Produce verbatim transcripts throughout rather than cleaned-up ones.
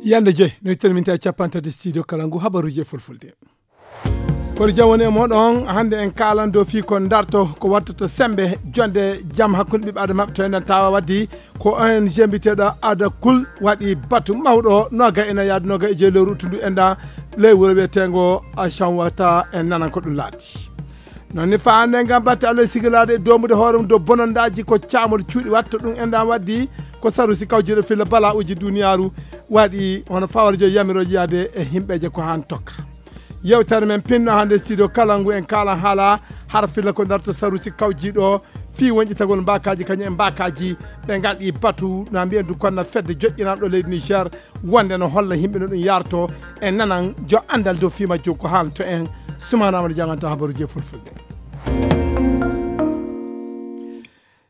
Yande joy no ittani min tawi capanɗe tati studio kala ngu habaruji e fulfulde. Kono jam woni e moɗon hannde en kaalan dow fii ko darto ko wattoto sembe jonde jam hakkunde ɓiɓɓe adama to enen tawa waddi ko ong mbiteɗo ada kul waɗi batu mawɗo noga ena yaade noga e jeyi lewru uttundu enda ley wuro wiyetengo a chanwata en nanan ko ɗum laati. Noon ni faande ngam batte allah sigilade e domude hoore mum dow bonondaji ko camol cuuɗi watta ɗum enda waddi ko sarusi kawjiɗo filla bala uji duniyaaru waɗi hono fawarjo yamiroji yaade e himɓeje ko han tokka. Yewtere men pinno hannde studio kala ngu en kala haala har filla ko darto sarusi kawjiɗo fii wonƴitagol mbakaji kañum e mbakaji ɓe ngaɗi batu na mbiyen du konna fedde joƴƴinanɗo leydi niger wonde no holla yimɓe no ɗum yarto e nanan jo andal dow fii majjum ko haalto en. Sumanama no janganta habaruji e fulfulde.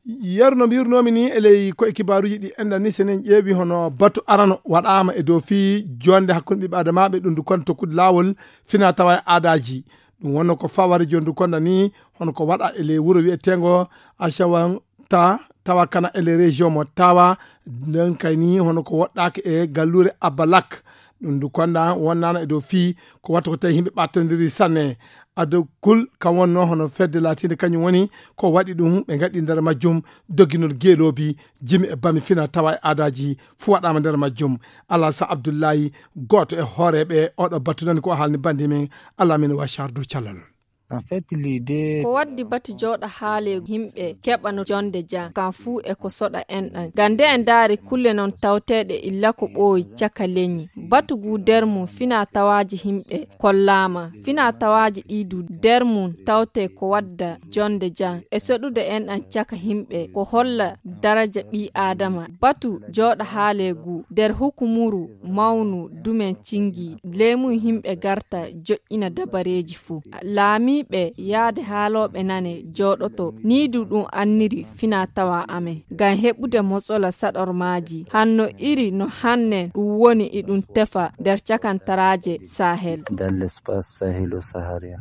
Yeru no mbirnoomi ni e ley koye kibaaruuji ɗi enɗan ni so en ƴeewi hono batu arano waɗaama e dow fii jonde hakkunde ɓiɓɓe adamaaɓe ɗum ndu kon tokkude laawol fina tawa e aadaaji. Ɗum wonno ko faware jondu konda ni hono ko waɗa e ley wuro wiyeteengo Ashawanta tawa kana e ley région mo tawa nden kay ni hono ko woɗɗaaka e galluure Abalak. Ɗum ndu konda wonnaano e dow fii ko watta ko tawi yimɓe ɓattondiri sanne. Adokul kam wonno hono fedde laatiinde kañum woni ko waɗi ɗum ɓe ngaɗi nder majjum dogginol geeloobi jimi e bami fina tawa e aadaaji fuu waɗaama nder majjum. Alasa Abdullahi gooto e hooreeɓe oɗo batu nani ko o haalni bandi men. Alaa min wa chardo callalol. En fait, l'idée ko waddi batu jooɗa haale yimɓe keɓa no jonde jam kan fuu e ko soɗa enɗan gande en daari kulle non tawteeɗe illa ko ɓooyi caka leñi batu gu der mum fina tawaaji yimɓe kollaama fina tawaaji ɗi du der mum tawte ko wadda jonde jam e soɗude enɗan caka yimɓe ko holla daraja ɓii aadama batu jooɗa haale gu der hukumuru mawnu dumen cingi leemu yimɓe garta joƴƴina dabareeji fuu laamiiɓe yaade haalooɓe nane jooɗoto nii du ɗum anniri fina tawa amen ngam heɓude motsola saɗormaaji hanno iri no hannen ɗum woni iɗum tefa nder cakantaraaje sahel. Dans l'espace sahélo-saharien.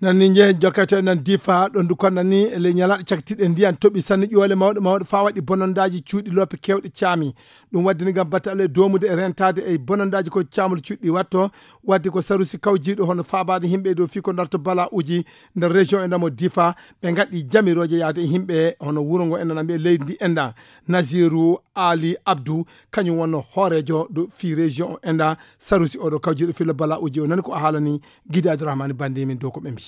Nan ni njehen jokkete nan difa ɗo ndu konnan ni e ley ñalaɗe caktiɗe ndiyan toɓi sanne ƴoole mawɗe mawɗe fa waɗi bonondaji cuuɗi loope kewɗe caami. Ɗum waddini ngam batte allah e domude e rentade e bonondaji ko caamol cuuɗi watto wadde ko sarusi kawjiɗo hono faabade yimɓe e dow fii ko darto bala uji nder région e ndamo difa ɓe ngaɗi jamiroje yaade e yimɓe hono wuro ngo enɗan mbiye leydi ndi enɗan. Nasiru ali abdou kañum wonno hoorejo ɗo fii région o enɗan sarusi oɗo kawjiɗo filla bala uji o nani ko a haalani. Gidi abdourahmani bandi min dow ko ɓe mbi.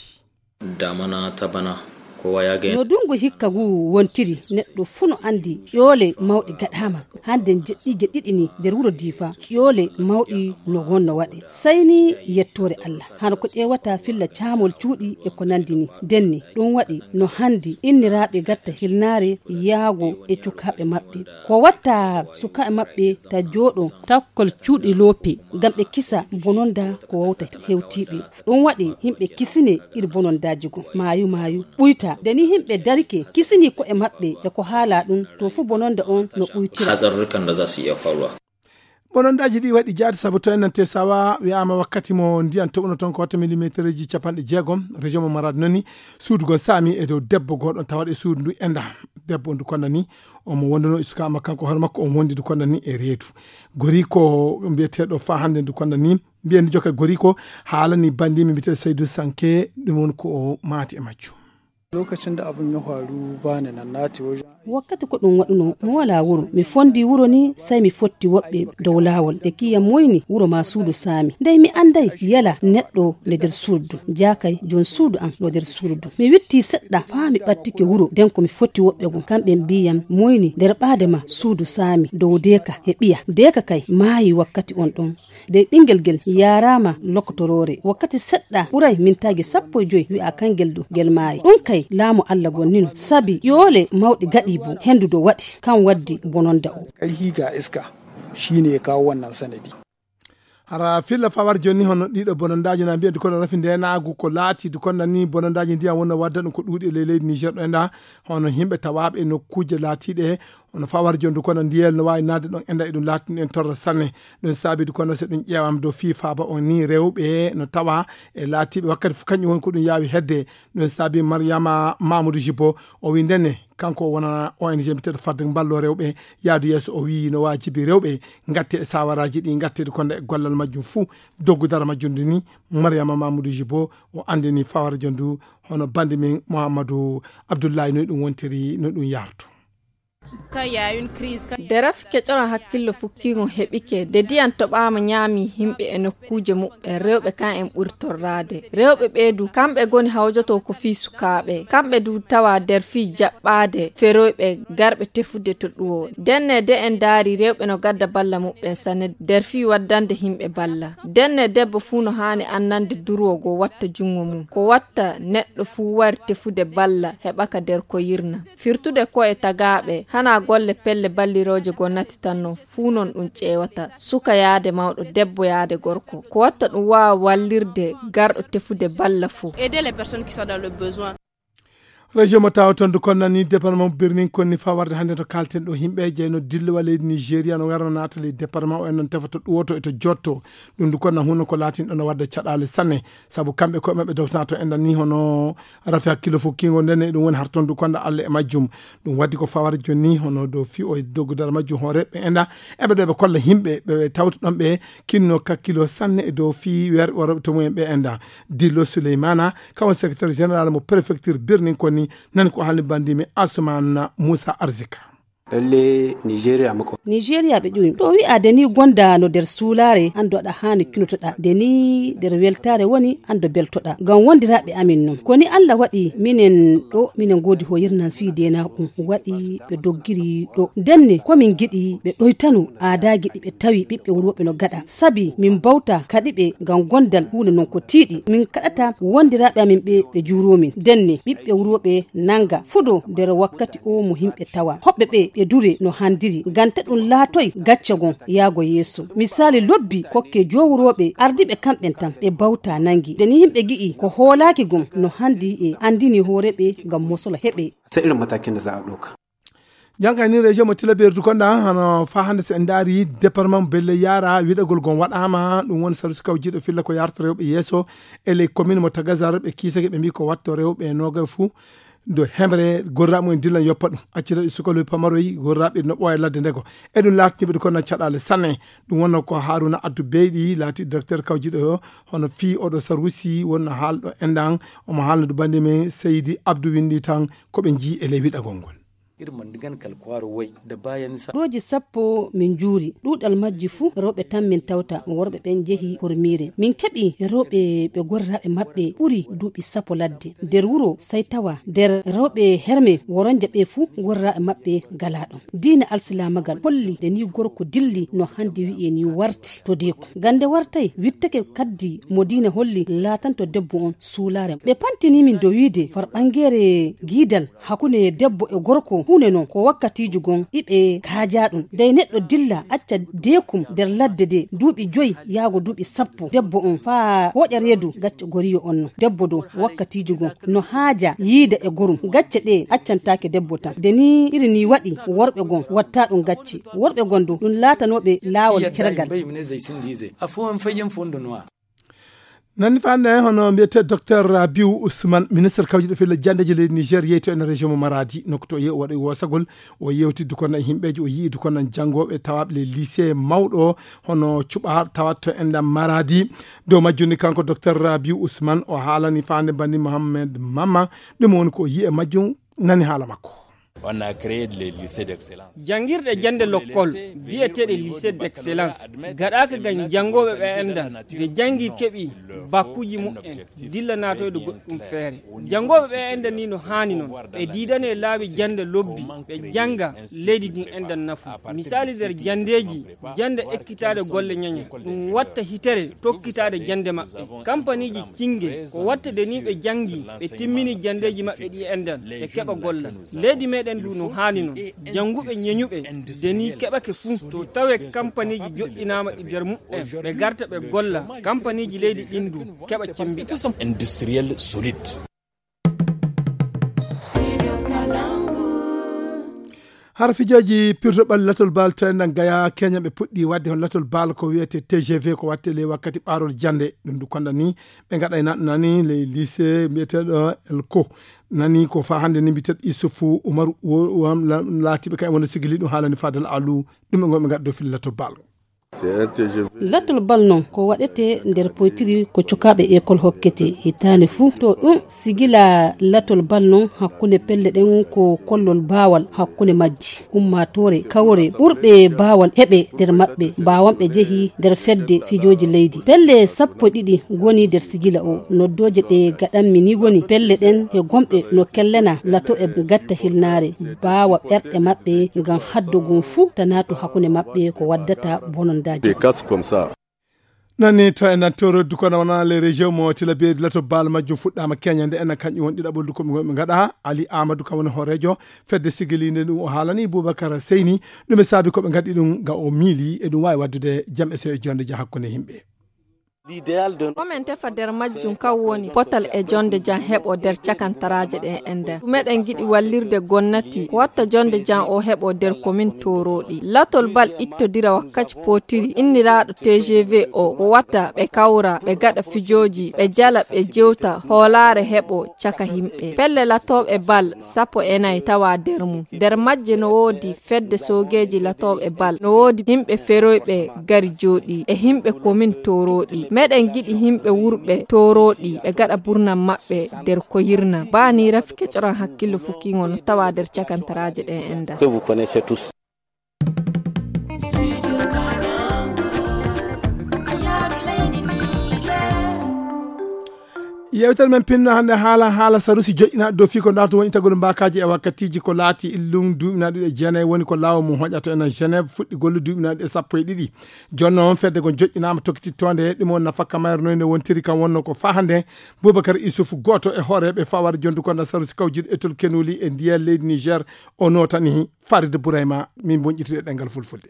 Damana tabana ko wayage no dungu hikka ngu wontiri neɗɗo fuu no andi ƴoole mawɗe gaɗama hande jeɗɗiije ɗiɗi ni nder wuro difa ƴoole mawɗi no wonno waɗe sayni yettore allah hano ko ƴeewata filla caamol cuuɗi e ko nandi ni denni ɗum waɗi no handi inniraaɓe gatta hilnaare yaago e cukaaɓe maɓɓe ko watta sukaaɓe maɓɓe ta jooɗo takkol cuuɗi loope ngam ɓe kisa bononda ko wawta hewtiiɓe ɗum waɗi yimɓe kisine iri bonondaaji go maayu maayu ɓuyta nde ni yimɓe darike kisini ko'e maɓɓe e ko haala ɗum to fuu bononda on no ɓuytira. Hazarurrukan da za su iya faruwa. Bonondaaji ɗi waɗi jaati sabu to en nante sawa wi'aama wakkati mo ndiyan toɓuno toon ko watta millimétreji capanɗe jeegom région mo marade noni suudu goo saami e dow debbo gooɗo tawaɗo e suudu ndu enda debbo ndu konda ni omo wonduno e suka makko kanko hoore makko omo wondi ndu konda ni e reedu goriko mbiyeteɗo fa hannde ndu konda ni mbiyen ndu jokka goriko haalani bandimi mbiyeteɗo Seydou Sanke ɗum woni ko o maati e majjum. Lokacin da abin ya faru ba ni nan na ce wajen wakkati ko ɗum waɗuno mo wala wuro mi fondi wuro ni sey mi fotti woɓɓe dow laawol ɓe kiya moyni wuro ma suudu saami ndey mi anday yala neɗɗo no nder suudu jakay jon suudu am no nder suudu mi witti seɗɗa faa mi ɓattike wuro nden ko mi fotti woɓɓe goo kamɓe mbiyam moyni nder ɓaade ma suudu saami dow deeka e ɓiya deeka kay maayi wakkati on ɗon de ɓingel gel yaaraama lokotoroore wakkati seɗɗa ɓuray mintaaji sappo e joy wi'a kangel du gel maayi ɗum kay laamu allah gonnino sabi ƴoole mawɗe gaɗi bo hendu do waɗi kan waddi bononda o. Ƙarhi ga iska shine ya kawo wannan sanadi. Hara filla fawar jonni hono ɗiɗo bonondaaji na mbiya dukono rafi ndenaagu ko laati dukonda ni bonondaaji ndiyan wonno wadda ɗum ko ɗuuɗi e ley leydi niger ɗo enda hono yimɓe tawaaɓe e nokkuuje laatiiɗe Kono fawar jondu kono ndiyel no waawi naatde ɗon enda e ɗum laatini en torra sanne. Ɗum saabi du kono so ɗum ƴeewaama dow fii faaba on ni rewɓe no tawa e laatiiɓe wakkati fof kañum woni ko ɗum yaawi hedde. Ɗum saabi Mariama Mamoudou Jibo o wi ndenne kanko wona O N G mbiteɗo fadde mballo rewɓe yaadu yeeso o wi no waajibi rewɓe ngatte e sawaraaji ɗi ngatte du kono e gollal majjum fuu doggu dara majjum du ni. Mariama Mamoudou Jibo o anndini fawar jondu hono bandi min Mouhamadou Abdoulaye no ɗum wontiri no ɗum yartu. Nde rafi keƴoran hakkillo fukkiiŋo heɓike, de diyan toɓaama ñaami himɓe e nokkuuje muɓɓen, rewɓe kan en ɓuri torraade. Rewɓe ɓee du, kamɓe goni hawjoto ko fii sukaaɓe. Kamɓe du tawa der fii jaɓɓaade feroyɓe garɓe tefude to ɗuwo. Denne de en daari rewɓe no gadda balla muɓɓen sanne der fii waddande himɓe balla. Denne debbo fuu no haani annande durwo go watta junngo mum. Ko watta neɗɗo fuu wari tefude balla heɓaka der ko yirna. Firtude ko'e tagaaɓe, hanaa golle pelle ballirooje goo natitanno, fuu non ɗum ƴeewata, suka yaade mawɗo, debbo yaade gorko. Ko watta ɗum waawa wallirde garɗo tefude balla fuu. Région mo tawa toon du konna ni département mo birnin konni fa warde hannde to kalten ɗo himɓe jeyno dillowa leydi nigéria no warno naata leydi département o en noon tefa to ɗuwoto e to jotto. Ɗum du konna huno ko laatin ɗo no wadde caɗale sanne. Sabu kamɓe koye maɓɓe dogtana to enɗan ni hono rafi hakkillo fof kingo nden e ɗum woni hartondu konda allah e majjum. Ɗum waddi ko fawara joni ni hono dow fi o e doggudal majjum hooreɓe enɗa eɓe ɗo ɓe kolla yimɓe ɓe tawtuɗon ɓe kinno kakkilo sanne e dow fi werɓe worɓe to mumen ɓe enɗa. Dillo souleymana kawo secrétaire général mo préfecture birnin koni nani ko halni bandimi asman moussa arzika. Lalle nigeria mako nigeria ɓe ƴuwi to wi'ade ni gonda no nder suulaare anndo aɗa haani cunotoɗa nde ni nder weltaare woni anndo beltoɗa ngam wondiraaɓe amin non ko ni allah waɗi minen ɗo minen ngoodi hoyirnan fii deenaaku ɗum waɗi ɓe doggiri ɗo ndenne ko min giɗi ɓe ɗoytano aadaaji ɗi ɓe tawi ɓiɓɓe wurooɓe no gaɗa sabi min mbawta kaɗi ɓe ngam gondal huunde non ko tiiɗi min kaɗata wondiraaɓe amin ɓe ɓe juuroo min ndenne ɓiɓɓe wurooɓe nannga fuɗo nder wakkati o mo yimɓe tawa hoɓɓe ɓe ɓe dure no handiri ngam ta ɗum laatoy gacce gon yaago yeeso misaali lobbi kokke jowurooɓe ardiiɓe kamɓen tan ɓe bawta nanngi nde ni yimɓe gi'i ko hoolaaki gon no handi e anndini hoore ɓe ngam mosola heɓe. Sai irin matakin da za a ɗauka. Jangay ni région mo tilaberdu konɗa hano fa hande so en daari département mo belle yara wiɗagol gon waɗama ɗum woni sarusi kawjiɗo filla ko yarta rewɓe yeeso e ley commune mo tagazar ɓe kiisake ɓe mbi ko watto rewɓe nogay fou do hemre gorraɓe mumen dillan yoppa ɗum accita ɗi sukaloy pamaroy gorraɓe no ɓooya ladde ndego e ɗum latniɓe ɗo kono caɗale sanne. Ɗum wonno ko haruna addu beyɗi laati directeur kawjiɗo o hono fi oɗo sarusi wonno haalɗo endan omo haalna du bande men seydi abdou windi tan koɓe jii e ley wiɗagol ngol. Dooji sappo min njuuri ɗuuɗal majji fuu rewɓe tan min tawta worɓe ɓen njehi hormiire min keɓi rewɓe ɓe gorraaɓe maɓɓe ɓuri duuɓi sappo ladde nder wuro sey tawa nder rewɓe herme woronje ɓe fuu gorraaɓe maɓɓe galaa ɗon diina alsilaamagal holli nde nii gorko dilli no hannde wi'e nii warti to deeku ngam nde wartay wittake kaddi mo diina holli laatanto debbo on suulaare ɓe pantini min dow wiide farɓanngeere giidal hakkunde debbo e gorko huunde non ko wakkatiiji gon iɓe kaajaa ɗum dey neɗɗo dilla acca deekum nder ladde de duuɓi joyi yaago duuɓi sappo debbo on faa hooƴa reedu gacca goriyo on non debbo dow wakkatiiji gon no haaja yiida e gorum gacce ɗe accantaake debbo tan de ni iri ni waɗi worɓe gon watta ɗum gacce worɓe gon dow ɗum laatanooɓe laawol ceragal. Nanni fande hono mbiyete docteur rabiu ousmane ministre kawjiɗo filla jandeji leydi niger yeyto en région mo maradi nokku to yehi o waɗa wosagol o yewtidde kono e yimɓeji o yiidu kono janngoɓe tawaɓe le lycée mawɗo hono cuɓa tawat to enɗam maradi. Dow majjum ni kanko docteur rabiu ousmane o haalani fande bandi mohammed mamma ɗum woni ko yiye majjum. Nani haala makko. Janngirɗe jannde lokkol biyeteeɗe lycée d'excellence gaɗaaka ngam janngooɓe ɓe enndan nde janngi keɓi bakkuuji muɓɓen dilla naatoyde goɗɗum feere. Janngooɓe ɓe enndan ni no haani noon ɓe diidane laawi jannde lobbi ɓe jannga leydi ndin enndan nafu. Misaali nder janndeeji jannde ekkitaade golle ñaña ɗum watta hitere tokkitaade jannde maɓɓe kampaniiji cinnge ko watta de ni ɓe janngi ɓe timmini janndeeji maɓɓe ɗi enndan ɓe keɓa golla. Leydi meɗen ndu no haani noon jannguɓe ñeñuɓe de ni keɓake fuu to tawe kampaniiji joɗɗinaama ɗi nder muɓɓen ɓe garta ɓe golla kampaniiji leydi ɗin ndu keɓa cemmbiɗa. Hara fijooji pirtoɓal latol bal to enɗan Gaya, keñanɓe puɗɗi waɗde hon latol bal ko wiyete T G V, ko waɗte ley wakkati ɓaarol jannde. Ɗum ndu konda ni ɓe ngaɗa e naɗɗo nani ley lycée mbiyeteeɗo Elko. Nani ko fa hannde ni mbiyeteeɗo Issoufou Oumarou, wo-, wo-, am la-, laatiiɓe kay wonde sigili ɗum haalani Fadel Alou, ɗum e ngon ɓe ngaɗa dow fil latol bal. Latol bal non ko waɗete nder poytiri ko cukaaɓe ekol hokkete hitaande fuu. To ɗum sigila latol bal non hakkunde pelle ɗen ko kollol baawal hakkunde majji. Ummaatoore kawre ɓurɓe baawal heɓe nder maɓɓe, baawanɓe jehi nder fedde fijooji leydi. Pelle sappo e ɗiɗi ngoni nder sigila o. Noddooje ɗe gaɗanmi ni woni pelle ɗen e gomɓe no kellena lato e gatta hilnaare, baawa ɓerɗe maɓɓe ngam haddogun fuu ta naatu hakkunde maɓɓe ko waddata bonondaaji. Nani to en nan toro du kono wona les régions mo tila be lato bal majjum fuɗɗama keñande en kañum won ɗiɗaɓol du ko mi ngaɗa Ali Amadou kam woni horejo fedde sigilinde ɗum o haalani Boubacar Seyni ɗum e saabi ko ɓe ngaɗi ɗum ga o miili e ɗum wawi waddude jam e sewo e jonde ja hakkunde yimɓe. Ko men tefa nder majjum kan woni potal e jonde jam heɓo nder cakantaraaje ɗen e nder. Meɗen giɗi wallirde gonnati ko watta jonde jam o heɓo nder komin toroɗi. Latol bal ittodira wakkaci potiri inniraaɗo T G V o ko watta ɓe kawra, ɓe gaɗa fijooji, ɓe jala, ɓe jewta, hoolaare heɓo caka himɓe. Pelle latooɓe bal sappo e nayi tawa nder mum. Nder majje no woodi fedde soogeeji latooɓe bal, no woodi himɓe feroyɓe gari jooɗi e himɓe komin toroɗi. Meɗen giɗi himɓe wurɓe toroɗi ɓe gaɗa burnam maɓɓe nder ko yirna. Baa ni rafi kecoran hakkillo fukkiŋo no tawa nder cakantaraaje ɗen e nder. Yewtere men pinno hannde haala, haala sarusi joƴƴinaaɗo dow fii ko ndaarto woni itagol mbaakaaji e wakkatiiji ko laati illum duuɓinaaɗo ɗiɗi e jeenayi woni ko laawol mum hoƴato enen Genève fuɗɗi golle duuɓinaaɗo e sappo e ɗiɗi. Jooni noon fedde gon joƴƴinaama tokkitittoonde ɗum o nafakka mayre noyne wontiri kam wonno ko faa hannde Boubacar Issouf gooto e hooreeɓe faware jondu konda sarusi kawjude etol kenuli e ndiyam leydi Niger o nootani Farid Bourayma min bonƴitude ɗemngal fulfulde.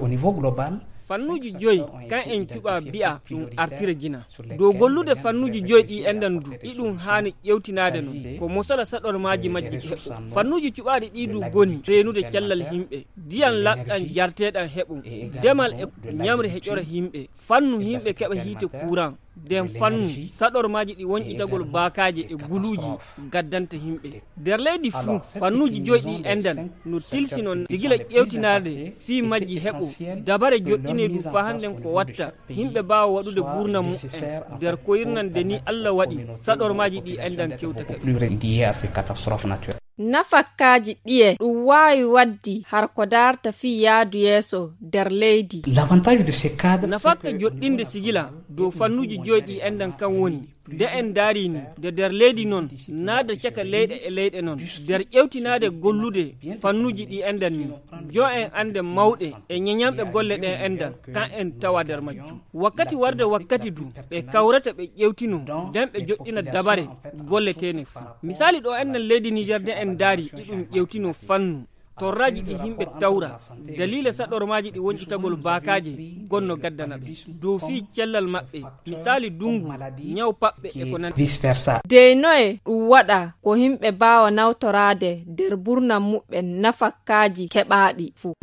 Au niveau global, fannuuji joyi kan en cuɓa bi'a ɗum artira jina dow gollude fannuuji joyi ɗi enɗan du iɗum haani ƴewtinaade noon ko mosala saɗormaaji majji ɗi heɓo fannuuji cuɓaaɗi ɗi du goni reenude cellal yimɓe, diyan laɓɗan jarteeɗan heɓum, demal e ñamre heƴora yimɓe, fannu yimɓe keɓa hiite kuuran. Nden fannu saɗormaaji ɗi wonƴitagol baakaaje e guluuji gaddanta yimɓe nder leydi fuu. Fannuuji joyi ɗi enɗan no tilsi noon sigila ƴeewtinaade fii majji heɓo dabare joɗɗinee ɗum faa hannden ko watta yimɓe mbaawa waɗude buurnam mu'en nder ko yirnande ni Alla waɗi saɗormaaji ɗi enɗan kewtake ɗum. Nafakkaaji ɗiye ɗum waawi waɗde har ko daarta fii yaadu yeeso nder leydi. Nafakka joɗɗinde sigila dow fannuuji joyi ɗi enɗan kan woni nde en ndaarii ni nde nder leydi noon naada caka leyɗe e leyɗe noon nder ƴewtinaade gollude fannuuji ɗi enɗan ni jo en annde mawɗe e ñeñanɓe golle ɗen enɗan kan en tawa nder majjum. Wakkati warde wakkati du ɓe kawrata ɓe ƴewtino nden ɓe joɗɗina dabare golleteene fuu. Misaali ɗo enɗan leydi Niger nde en ndaari iɗum ƴewtino fannu torraaji ɗi yimɓe tawra daliila saɗormaaji ɗi wonƴitagol baakaaje gonno gaddana ɓe dow fii cellal maɓɓe, misaali dunngu, ñaw paɓɓe e ko nandi. Dey noye ɗum waɗa ko yimɓe mbaawa nawtoraade nder burnam muɓɓen nafakkaaji keɓaaɗi fuu.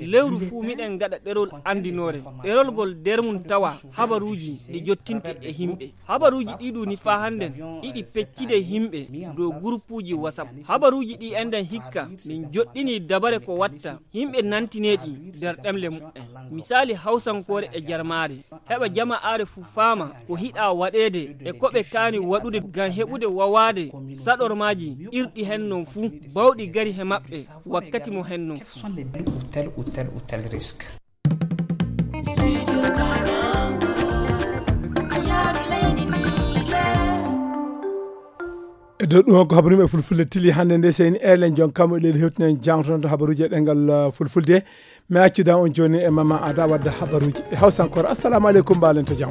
Lewru fuu miɗen ngaɗa ɗerol anndinoore ɗerol ngol nder mum tawa habaruuji ɗi jottinte e yimɓe. Habaruuji ɗi ɗu ni faa hannden iɗi peccide yimɓe dow gurupuuji WhatsApp. Habaruuji ɗi enɗan hikka min joɗɗini dabare ko watta yimɓe nantinee ɗi nder ɗemle muɓɓen. Misaali hawsankoore e jarmaare heɓa jama'aare fuu faama ko hiɗaa waɗeede e ko ɓe kaani waɗude ngam heɓude wawaade saɗormaaji irɗi hen non fuu bawɗi gari he maɓɓe wakkati mo hen non fuu. E dow ɗum ko habaru yimɓe fulfulde tili hannde nde seyni elen jon kam leli hewtinen jangtoto habaruji e ɗengal fulfulde. Mi accida on joni e mama ada wadda habaruji e hawsankore. Assalamu aleykum, mbalen to jam.